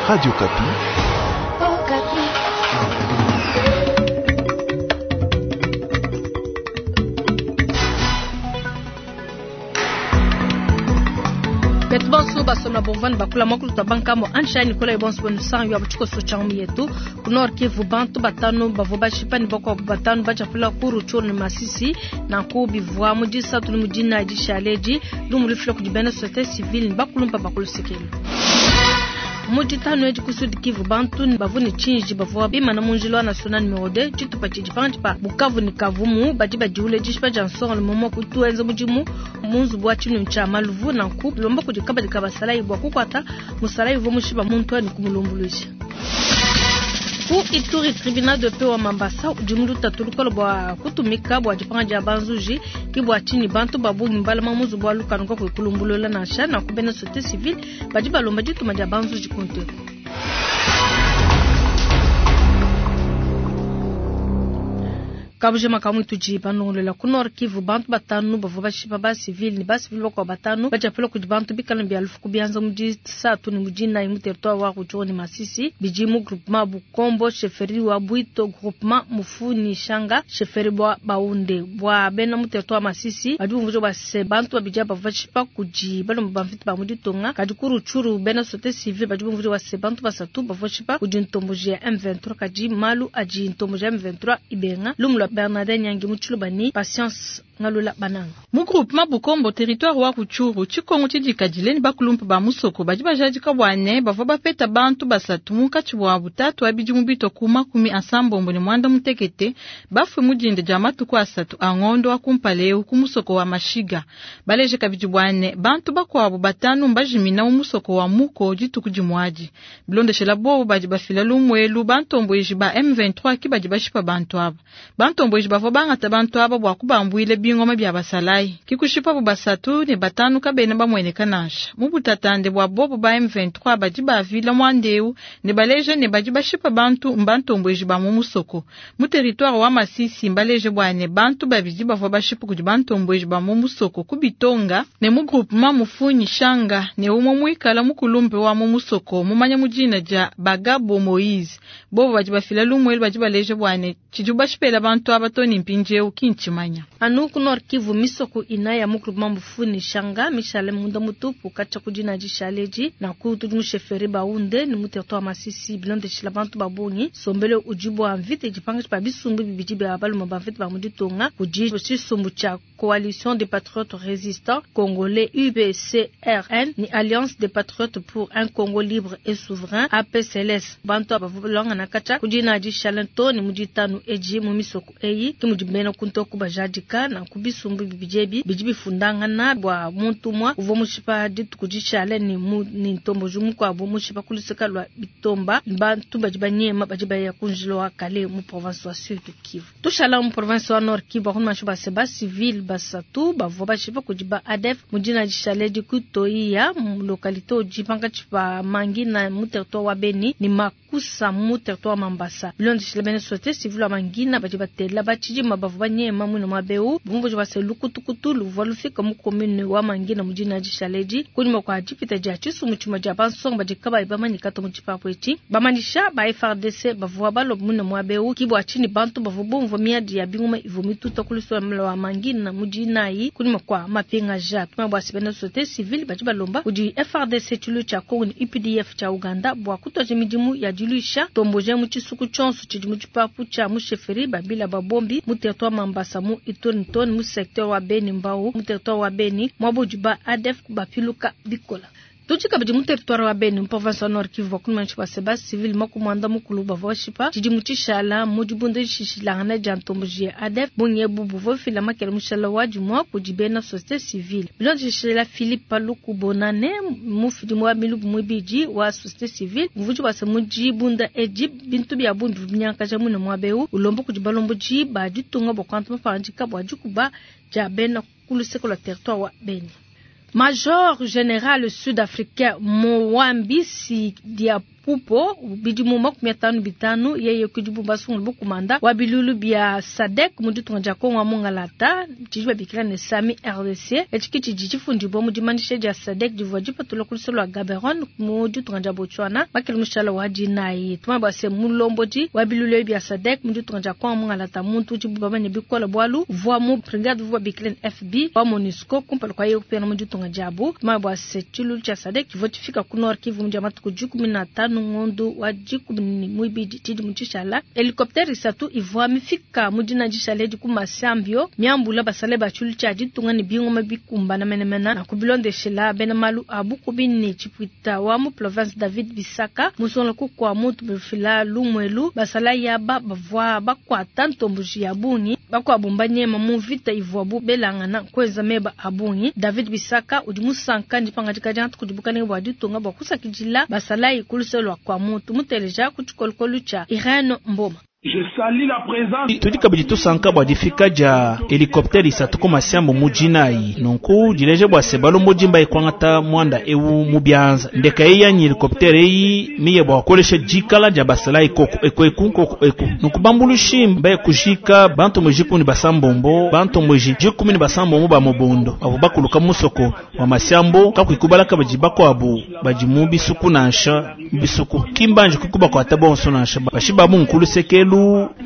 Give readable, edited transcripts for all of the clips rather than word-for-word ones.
Radio Okapi. Betu bonso basomba bovani bakula mwakulu twa bankambo ansha Nicolas bonso bonu sang yo abuchiko so changu yetu ku Nord Kivu bantu batano bavua bashipa ne bakuabu batano bachapula ku Rutshuru ne Masisi nanku bivua mu disatu ne mu dinayi dishale edi lumu lufila kudi bena société civile ne bakulumpa bakulusekelu. Mu ditanu edi ku Sud Kivu bantu bavua ne tshinji bavua bimana mu njila wa national numero 2 tshitupa tshidi pankatshi pa Bukavu ne Kavumu badi badiule dishipa dia nsongalume mua kutuenza mudimu mu nzubu wa tshinunu tshia maluvu nanku lomba kudi kabadi ka basalayi bua kukuata musalayi uvua mushipa muntu ne kumulumbuluisha. Ku Ituri tribunal de paix wa Mambasa udi mu lutatu lukole bua kutumika bua dipanga dia banzuji ke bua tshinyi bantu ba bungi mbalama mu nzubu wa lukanu kakuyi kulumbulula nansha nanku bena société civile badi balomba dituma dia banzuji ku nteku. Kabujima kamwe tudi banongolola ku Nord Kivu bantu batanu bavua bashipa ba civil ne ba civil bakuabu batanu badiapela kudi bantu bikala bia lufu ku bianza mu disatu ne mu dinayi mu territoire wa Rutshuru ne Masisi bidi mu groupement Bukombo chefferie wa Bwito groupement Mufuni Shanga chefferie bua Baunde bua bena mu territoire wa Masisi badi bumvuija bua se bantu babidi aba bavua bashipa kudi balomba ba mvita ba mu ditunga kadi ku Rutshuru bena société civile badi bumvuija bua se bantu basatu bavua bashipa kudi ntomboji ya M23 kadi malu adi ntomboji ya M23 ibenga lumu lua Bernadette Nyangi mu Tshiluba ni Patience Ngalula Bananga. Mu groupement Bukombo territoire wa Rutshuru tshikongo tshidikadile ne bakulumpa ba musoko badi bajadika bua ne bavua bapeta bantu basatu munkatshi bua butatu wa bidimu bitwa ku makumi asambombo ne mwanda mutekete bafue mu dinda dia matuku asatu a ngondo wa kumpala eu ku musoko wa Mashiga. Baleje kabidi bua ne bantu bakuabu batanu mbajimina mu musoko wa Muko dituku dimuadi. Bilondeshela bobo badi bafila lumuelu bantomboji ba M23 ki badi bashipa bantu aba. Bantomboji bavua bangata bantu aba bua kubambuile bingoma bia basalayi. Kikushipa bu basatu ne batanu kabena bamueneka nansha. Mu butatande bua bobo ba M23 badi bavila mwandeu ne baleje ne badi bashipa bantu mbantomboji ba mu musoko. Mu territoire wa Masisi mbaleje bua ne bantu babidi bavua bashipa kudi bantomboji ba mu musoko ku Bitonga ne mu groupement Mufunyi Shanga ne umwe muikala mukulumpe wa mu musoko mumanya mu dina dia Bagabo Moise. Bobo badi bafila lumuelu badi baleje bua ne tshidi bashipela bantu aba to ne mpindieu kinchimanya. Anu ku Nord Kivu misoko ina ya mu groupement Mufuni Shanga mishale munda mutupu katshia ku dina dishaleji na ku tudi mu chefferie Baunde ne mu territoire Masisi bilondeshila bantu ba bungi sombele udi bua mvita dipanga pa bisumbu bibidi bia balume ba mvita ba mu ditunga kudi tshisumbu tshia Coalition des Patriotes Résistants Congolais UPCRN ni Alliance des Patriotes pour un Congo libre et souverain APCLS bantu aba balongana katshia ku dina dishale to ne mu ditanu edi mu misoko eyi ke mudi bena kuntoku bajadika na ku bisumbu bibidi ebi bidi bifundangana bua muntu umue uvua mushipa dituku dishale ne mu ne ntomboji mukuabu mushipa ku luseke lua Bitomba bantu badi banyema badi baya ku njila wa kale mu province wa Sud Kivu. Tushala mu province wa Nord Kivu bakumasha ba seba civil basatu bavua bashipa kudi ba ADF mu dina dishale di ku Toiya mu localité udi pankatshi pa Mangina mu territoire wa Beni ne Makusa mu territoire wa Mambasa. Bilondeshile bena société civile wa Mangina badi batela batshidima bavua banyema muine muaba eu bumvuija bua se lukutukutu luvua lufika mu commune wa Mangina mu dina dishale di kunyima kua dipita dia tshisumbu tshimue dia bansonga badi kabayi bamanyika to mu tshipapu etshi. Bamanyisha ba FARDC bavua balomba muine muaba eu ki bua tshinyi bantu bavua bumvua miadi ya bingoma ivua mituta ku luseke lua Mangina mu dinayi kunyima kua mapingaja. Tuma bua se bena société civile badi balomba kudi FARDC tshilu tshia Congo ne UPDF tshia Uganda bua kutuaja midimu ya diluisha tomboja mu tshisuku tshionso tshidi mu tshipapu tshia mu chefferie Babila Babombi mu territoire Mambasa mu Ituri Ntoni mu secteur wa Beni Mbau mu territoire wa Beni mwabo ba ADF bapiluka bikola. Tudi kabidi mu territoire wa Beni mu province wa Nord Kivu bakumanyishi ba seba civil makumwanda mukulu bavua bashipa tshidi mu tshishala mu dibunda dishishilangana dia ntomboji ya ADF bungi ebu buvua bufila makele mushala wa dimua kudi bena société civile. Bilondeshela Philippe Paluku Bonane mufidi wa milubu muibidi wa société civile muvudi bua se mu dibunda edi bintu bia bungi bivua binyankaja muine muaba eu ulomba kudi balombodi ba ditunga bua kuanta mapangadika bua dikuba dia bena ku luseke lua territoire wa Beni. Major General Sud-Africain Moambisi Diapupo bidimu 55 yeye kudibu basungula bukumanda wa bilulu bia SADC mu ditunga dia Kongo wa Mungalata tshidi babikila ne Sami RDC etshi tshidi tshifundibua mu dimanyisha dia SADC divua dipatula ku luseke lua Gaborone mu ditunga dia Botswana makele mushala wa dinayi tumanye bua se mulombodi wa bilulu bia SADC mu ditunga dia Kongo wa Mungalata muntu udibu bamanye bikole bualu uvua mu brigade uvua babikila ne FB wa MONUSCO kumpala kwa yeye kupingana mu ditunga diabu. Tumanye bua se tshilulu tshia SADC tshivua tshifika ku Nord Kivu mu dia matuku 15 ngondo wa 12 tshidimu tshishala. Helicoptère isatu ivua mifika mu dina dishala edi ku Masambio miambula basale ba tshilulu tshia ditunga ne bingoma bikumbana menemene na kubilondeshela bena malu a bukubi ne tshipuita wa mu province David Bisaka musongola kukua muntu bifila lumwelu basala yaba bavua bakwata ntomboji ya bungi bakuabu mbanyema mu vita ivuabu belangana kweza meba a bungi. David Bisaka udi musanka ndipangadika dia ntuku dibukalenge bua ditunga bua kusakidila basalayi ku luseke lua kua muntu muteleja ku tshikolokolo tshia Irene Mboma. Tudi kabidi tusanka bua difika dia helicoptère isatu ku Masiambo mu dinayi nunku dileja bua se balombodi mbaye kuangata muanda ewu mu bianza ndeka eyi yanyi helicoptère eyi miye bua kukolesha dikala dia basalayi koko eku eku koko eku nunku bambulushi mbaye kujika bantu muji kumi basambombo bantu muji jikumi ne basambombo ba mubondo bavua bakuluka musoko wa Masiambo kakuikubala kabidi bakuabu badi mu bisuku nansha bisuku kimbanji kukuba kwata bonso nansha bashibabu nkulu sekelu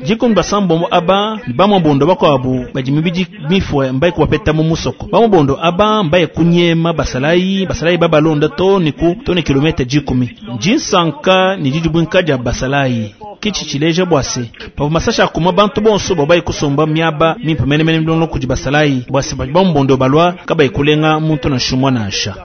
jikumi basambombo aba ni bamubondo bakuabu badi mibidi mifue mbaye kubapeta mu musoko bamubondo aba mbaye kunyema basalayi basalayi babalonda to ni ku to ni kilomita 10 njinsanka ni didibwinka dia basalayi kichi chileja bwase pavua masasha akuma bantu bonso babayi kusomba miaba mimpe menemene milongo kudi basalayi bwase badi bamubondo balwa kabayi kulenga muntu na shumwa nansha.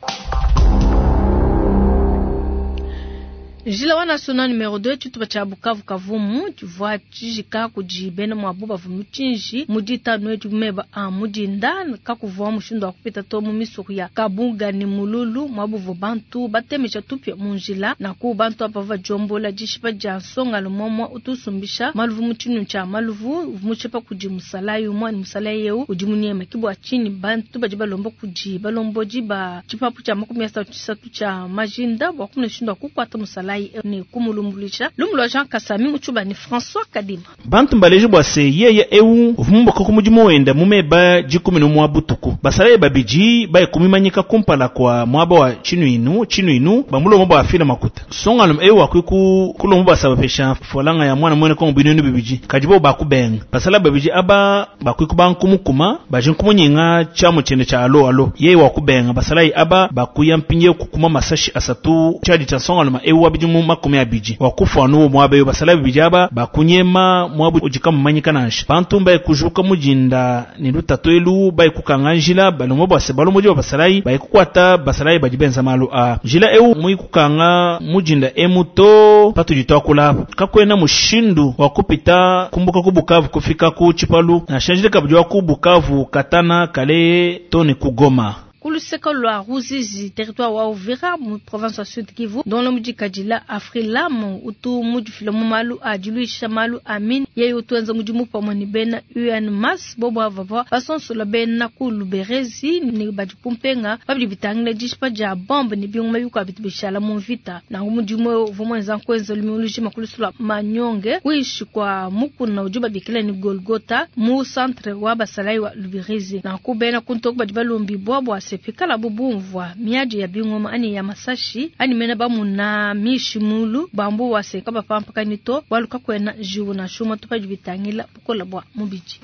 Njila wa national numero 2 tshitupa tshia Bukavu Kavumu tshivua tshijika kudi bena mwabu bavua mutshinji mu ditanu etu meba a mudinda kakuvua mushindu wa kupita to mu misuku ya Kabunga ni Mululu mwabu bantu batemesha tupya mu njila na ku bantu aba bajombola dishipa dia nsonga lumomwa utusumbisha maluvu mu tshinu tshia maluvu mutshipa kudi musalayi umwa ni musalayi eu udi munyema kibwa chini bantu badi balomba kudi balombodi ba tshipapu tshia 33 tshia majinda bwa kumuna mushindu wa kukwata musalayi ni kumulumbulisha lumulwa Jean Kasami muchuba ni François Kadima. Bantu mbaleje bwa se yeye eu uvumbuka ku mudimu wenda mumeba 11 butuku basalaye babiji baye kumimanyika kumpala kwa mwaba wa chinuinu chinuinu bamulomba bwa afila makuta songalum eu akwiku kulomba basabapesha folanga ya mwana mwene kongo binunu bibiji kajibo bakubenga basala babiji aba bakwiku bankumukuma baje nkumunyinga chamu chene cha alo alo yeye wakubenga basalaye aba bakuya mpinye kukuma masashi asatu chadi cha songalum eu wabiji mu 20 wakufa nuwo mwabe basala bijaba bakunyema mwabu ujikamumanyika nansha bantu mbaye kujuka mujinda ni lutatu elu baye kukanga njila balomo bwase balomo jo basalayi baye kukwata basalayi bajibenza malu a njila eu mui kukanga mujinda emuto patu jitwakula kakwena mushindu wa kupita kumbuka ku Bukavu kufika ku Chipalu na shanjile kabujwa ku Bukavu Katana Kale toni kugoma. Kuluseka lwa Ruzizi territoire wa Uvira mu province ya Sud Kivu dans le mji Kadila Afrilam utu mujifila mu malu adiluisha malu amin yeye utuenza mudimu pamwe ni bena UN Mass bobo avava basonsola bena ku Luberezi ni badi kumpenga babidi bitangile dishipa dia bombe ni bingoma bikwa bitu bishala mu vita na mudimu uvumwenza nkwenza lumiuluji makulusula manyonge kuishi kwa mukuna ujuba bikila ni Golgota mu centre wa basalai wa Luberezi na kubena kuntoku badi balombi bwabwa sepikala bubumvwa miadi ya bingoma ani ya masashi ani mena bamuna mishimulu bambu waseka bapampaka nito waluka kwena jiwu na shuma tupaji bitangila bukola bwa mubiji.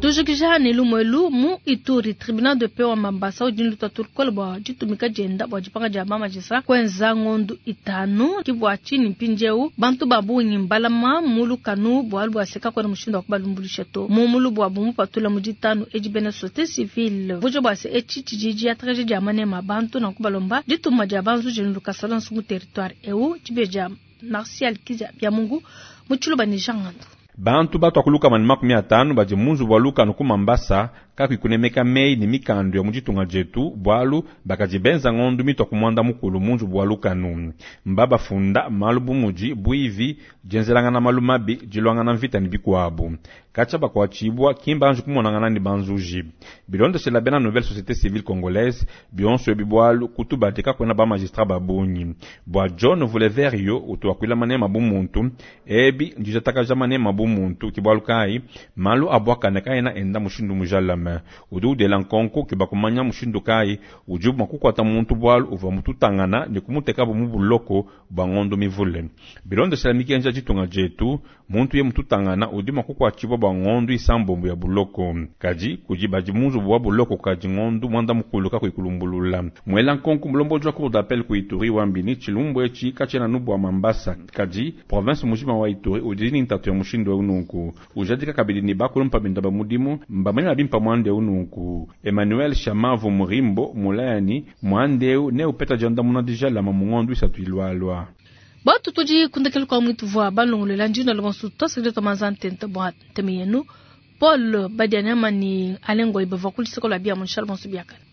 Tujikija ni lumwelu mu Ituri tribunal de paix wa Mambasa udi lutatu lukola bwa ditumika dienda bwa dipanga dia bamajisa kwenza ngondu itanu kibwa chini mpinjeu bantu babungi mbalama mulukanu bwalu bwaseka kwena mushindu wa kubalumbulisha to mumulu bwa bumupatula mu ditanu edi bena société civile vujo bwase echi tshijiji ya tragédie ya manema bantu na kubalomba dituma dia banzu jenu lukasala nsungu territoire eu tshibeja Martial Kizia bya Mungu mutshiluba ni Jean Ngandu. Bantu batwakuluka mani 50 badi munzu bwa lukanu ku Mambasa kakuyi kunemeka meyi ne mikandu ya mu ditunga dietu, bualu bakadi benza ngondu mitua ku muanda mukulu mu nzubu wa lukanu. Mbabafunda malu bu mudi, buivi, dienzelangana malu mabi, diluangana mvita ne bikuabu. Katshia bakuatshibua, ki mbanji kumonangana ne banzuji. Bilondeshela bena Nouvelle Societe Civile Congolaise, bionso ebi bualu ku tubadi kakuena ba magistrats ba bungi. Bua John Vuleverio utu wakuila manema bu muntu, ebi ndidiatakaja manema bu muntu, ke bualu kayi malu a buakane kaena enda mushindu mujalame. Udi udela nkonko ukeba kumanya mushindu kayi udibu mua kukuata muntu bualu uvua mututangana ne kumutekabu mu buloko bua ngondo mivule. Bilondeshela mikenji ya ditunga dietu, muntu ye mututangana udi mua kukuatshibua bua ngondo isambombo ya buloko. Kadi kudi badi mu nzubu wa buloko kukadi ngondo muanda mukulu kakuyi kulumbulula. Muela nkonko mulombodi wa cour d'appel ku Ituri wambi ne tshilumbu etshi katshiena anu bua Mambasa, kadi province mujima wa Ituri udi ne ntatu ya mushindu eu nunku. Ujadika kabidi ne bakulumpa benda ba mudimu mbamanya bimpe muanda eu nunku. Emmanuel Shamavu Murimbo mulaya ne muanda eu neupeta diandamuna dijalama mu ngondo isatu ilualua. Batu tudi kundekelu kwa mwitu vua balongolola njina lobonso twasakidila twa manza ntenta bua nteme yenu. Paul Badianyama ni Alain Ngoyi bavua ku luseke lua bia mu nshala bonso biakane.